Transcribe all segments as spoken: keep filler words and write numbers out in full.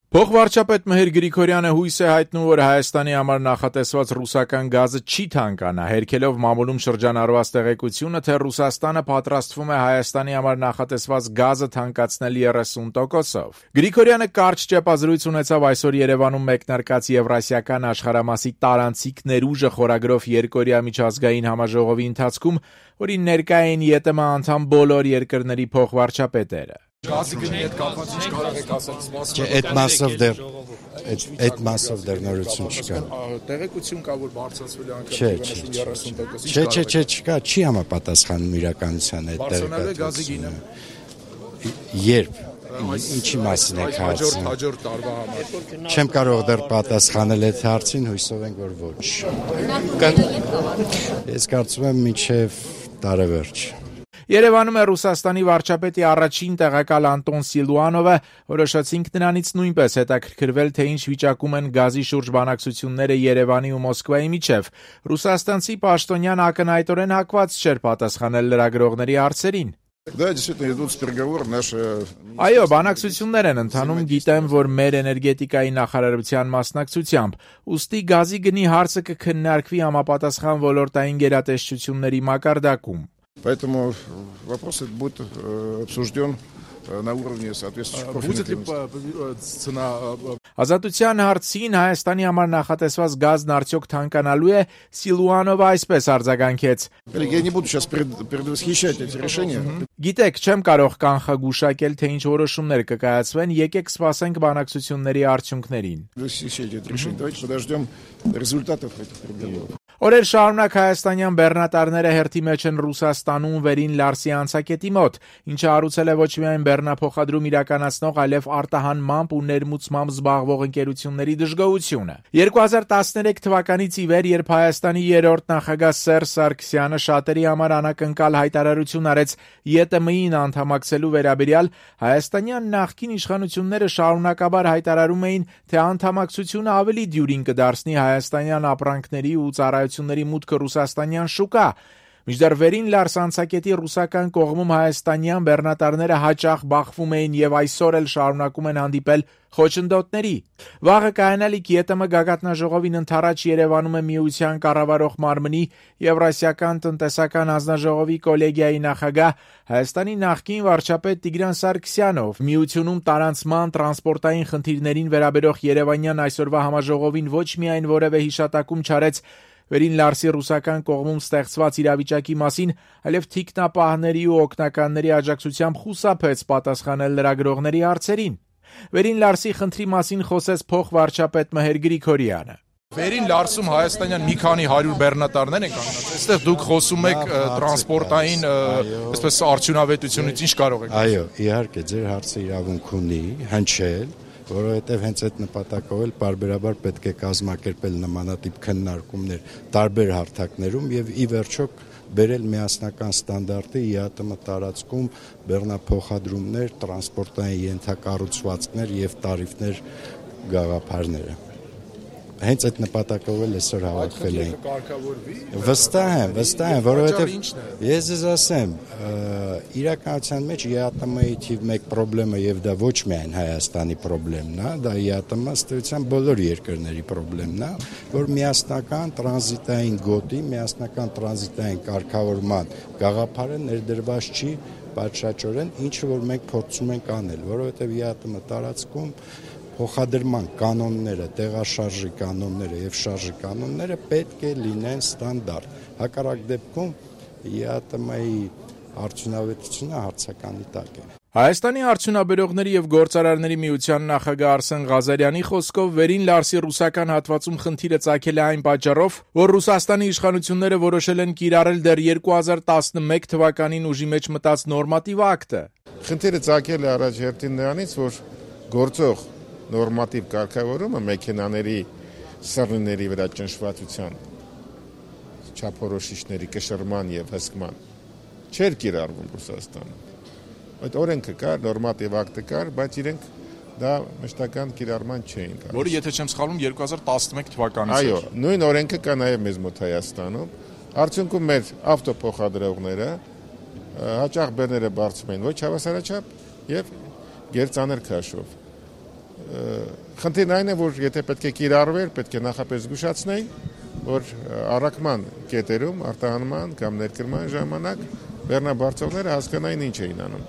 Փոխվարչապետ Մհեր Գրիգորյանը հույս է հայտնում, որ Հայաստանի համար նախատեսված ռուսական գազը չի թանկանա, հերքելով մամուլում շրջանառված տեղեկությունը, թե Ռուսաստանը պատրաստվում է Հայաստանի համար նախատեսված գազը թանկացնել երեսուն տոկոսով։ Գրիգորյանը կարճ ճեպազրույց ունեցավ այսօր Երևանում մեկնարկած Եվրասիական աշխարհամասի տարանցիկ ներուժը խորագրով երկօրյա միջազգային համաժողովի ընթացքում, որին ներկա էին ԵՏՄ անդամ բոլոր երկրների փոխվարչապետերը։ Գազի գնի հետ կապված ինչ կարող եք ասել, Չէ, այդ մասով դեռ այդ մասով դեռ նորություն չկա։ Տեղեկություն կա, որ բարձրացվել է Չէ, անկամ երեսուն տոկոս։ Չէ, չէ, չէ, չկա, չի համապատասխանում իրականության այդ Բարձրանալու է գազի գինը։ Երբ ինչի մասին եք Հաջորդ հարցնում։ հաջորդ տարվա համար։ Չեմ կարող դեռ պատասխանել այդ հարցին, հույսով ենք, որ ոչ։ Ես կարծում եմ մինչև տարեվերջ։ Երևանում է Ռուսաստանի վարչապետի առաջին տեղակալ Անտոն Սիլուանովը, որոշեցինք նրանից նույնպես հետաքրքրվել, թե ինչ վիճակում են գազի շուրջ բանակցությունները Երևանի ու Մոսկվայի միջև։ Ռուսաստանցի պաշտոնյան ակնհայտորեն հակված չէր պատասխանել լրագրողների հարցերին։ Да, действительно, идут переговоры наши. Այո, բանակցություններ են ընթանում, գիտեմ, որ մեր էներգետիկայի նախարարության մասնակցությամբ, ուստի գազի գնի հարցը կքննարկվի համապատասխան ոլորտային գերատեսչությունների մակարդակում։ Поэтому вопрос будет обсужден на уровне соответствующих Ազատության հարցին Հայաստանի համար նախատեսված գազն արդյոք թանկանալու է, Սիլուանովը այսպես արձագանքեց. Я не буду сейчас предвосхищать эти решения. Գիտեք, չեմ կարող կանխագուշակել, թե ինչ որոշումներ կկայացվեն, եկեք սպասենք բանակցությունների արդյունքներին։ Давайте подождем результатов этих переговоров. Օրեր շարունակ հայաստանյան բեռնատարները հերթի մեջ են Ռուսաստանում վերին Լարսի անցակետի մոտ, ինչը հարուցել է ոչ միայն բեռնափոխադրում իրականացնող, այլև արտահանմամբ ու ներմուծմամբ զբաղվող ընկերությունների դժգոհությունը։ երկու հազար տասներեք թվականից ի վեր, երբ Հայաստանի երրորդ նախագահ Սերժ Սարգսյանը շատերի համար անակնկալ հայտարարություն արեց ԵՏՄ-ին անդամակցելու վերաբերյալ, հայաստանյան նախկին իշխանությունները շարունակաբար հայտարարում էին, թե անդամակցությունը ավելի դյուրին կդարձնի հայաստանյան ապրանքների ու ծառայությունների մուտքը ռուսաստանյան շուկա։ Մինչդեռ վերին Լարս անցակետի ռուսական կողմում հայաստանյան բեռնատարները հաճախ բախվում էին եւ այսօր էլ շարունակում են հանդիպել խոչընդոտների։ Վաղը կայանալիք ԵՏՄ գագաթնաժողովին ընթരാճ Երևանում է միության կառավարող մարմնի Եվրասիական տնտեսական հանձնաժողովի կոլեգիայի նախագահ Հայաստանի նախկին վարչապետ Տիգրան Սարգսյանով։ Միությունում տարանցման տրանսպորտային խնդիրներին վերաբերող Երևանյան այսօրվա համաժողովին ոչ միայն որևէ հիշատակում չարեց վերին Լարսի ռուսական կողմում ստեղծված իրավիճակի մասին, այլև թիկնապահների ու օգնականների աջակցությամբ խուսափեց պատասխանել լրագրողների հարցերին։ Վերին Լարսի խնդրի մասին խոսեց փոխվարչապետ Մհեր Գրիգորյանը։ Վերին Լարսում հայաստանյան մի քանի հարյուր բեռնատարներ են կանգնած։ Այստեղ դուք խոսում եք տրանսպորտային, այսպես արդյունավետությունից, ինչ կարող եք։ Այո, իհարկե, ձեր հարցը իրավունք ունի հնչել, որովհետև հենց այդ նպատակով էլ պարբերաբար պետք է կազմակերպել նմանատիպ քննարկումներ տարբեր հարթակներում եւ ի վերջո բերել միասնական ստանդարտի ԵԱՏՄ տարածքում բեռնափոխադրումներ, տրանսպորտային ենթակառուցվածքներ եւ տարիֆներ գաղափարները։ Հենց այդ նպատակով էլ այսօր հավաքվել ենք։ Վստահ եմ, վստահ եմ, որովհետև ես ձեզ ասեմ, իրականության մեջ ԵԱՏՄ-ի թիվ մեկ խնդիրը եւ դա ոչ միայն Հայաստանի խնդիրն է, դա ԵԱՏՄ ըստեյության բոլոր երկրների խնդիրն է, որ միասնական տրանզիտային գոտի, միասնական տրանզիտային կարգավորման գաղափարը ներդրված չի պատշաճորեն, ինչը որ մենք փորձում ենք անել, որովհետև ԵԱՏՄ տարածքում փոխադրման կանոնները, տեղաշարժի կանոնները եւ շարժի կանոնները պետք է լինեն ստանդարտ։ Հակառակ դեպքում ԵԱՏՄ-ի արդյունավետությունը հարցականի տակ է։ Հայաստանի արդյունաբերողների եւ գործարարների միության նախագահ Արսեն Ղազարյանի խոսքով վերին Լարսի ռուսական հատվածում խնդիրը ծագել է այն պատճառով, որ Ռուսաստանի իշխանությունները որոշել են կիրառել դեռ երկու հազար տասնմեկ թվականին ուժի մեջ մտած նորմատիվ ակտը։ Խնդիրը ծագել է առաջ հերթին նրանից, որ գործող նորմատիվ կարգավորումը մեքենաների սռնիների վրա ճնշվածության չափորոշիչների կշռման եւ հսկման չէր կիրառվում Ռուսաստանում։ Այդ օրենքը կար, նորմատիվ ակտը կար, բայց իրենք դա մշտական կիրառման չէին տալիս։ Որը եթե չեմ սխալվում երկու հազար տասնմեկ թվականից էր։ Այո, նույն օրենքը կա նաեւ մեզ մոտ Հայաստանում։ Արդյունքում մեր ավտոփոխադրողները հաճախ բեռները բարձում են ոչ հավասարաչափ եւ գերծանր քաշով։ Խնդիրն այն է, որ եթե պետք է կիրառվեր, պետք է նախապես զգուշացնեին, որ առաքման կետերում, արտահանման կամ ներկրման ժամանակ բեռնաբարձողները հասկանային ինչ էին անում։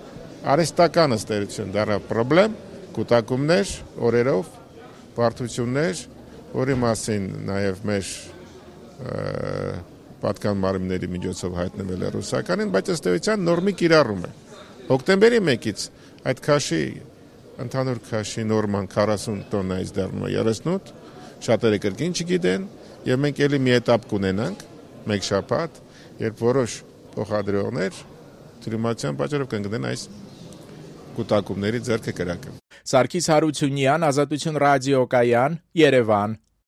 Արհեստական ըստերություն դառավ խնդրեմ, կուտակումներ, օրերով, բարդություններ, որի մասին նաև մեր պատկան մարմինների միջոցով հայտնվել է ռուսականին, բայց ըստ էության նորմի կիրառում է։ Հոկտեմբերի մեկից այդ քաշի ընդհանուր քաշի նորման քառասուն տոննայից դառնում է երեսունութ, շատերը կրկին չգիտեն, եւ մենք ելի մի էտապ կունենանք, մեկ շաբաթ, երբ որոշ փոխադրողներ թյուրիմացիան պատճառով կընկնեն այս կուտակումների ձեռքը կրակը։ Սարգիս Հարությունյան, Ազատություն ռադիոկայան, Երևան։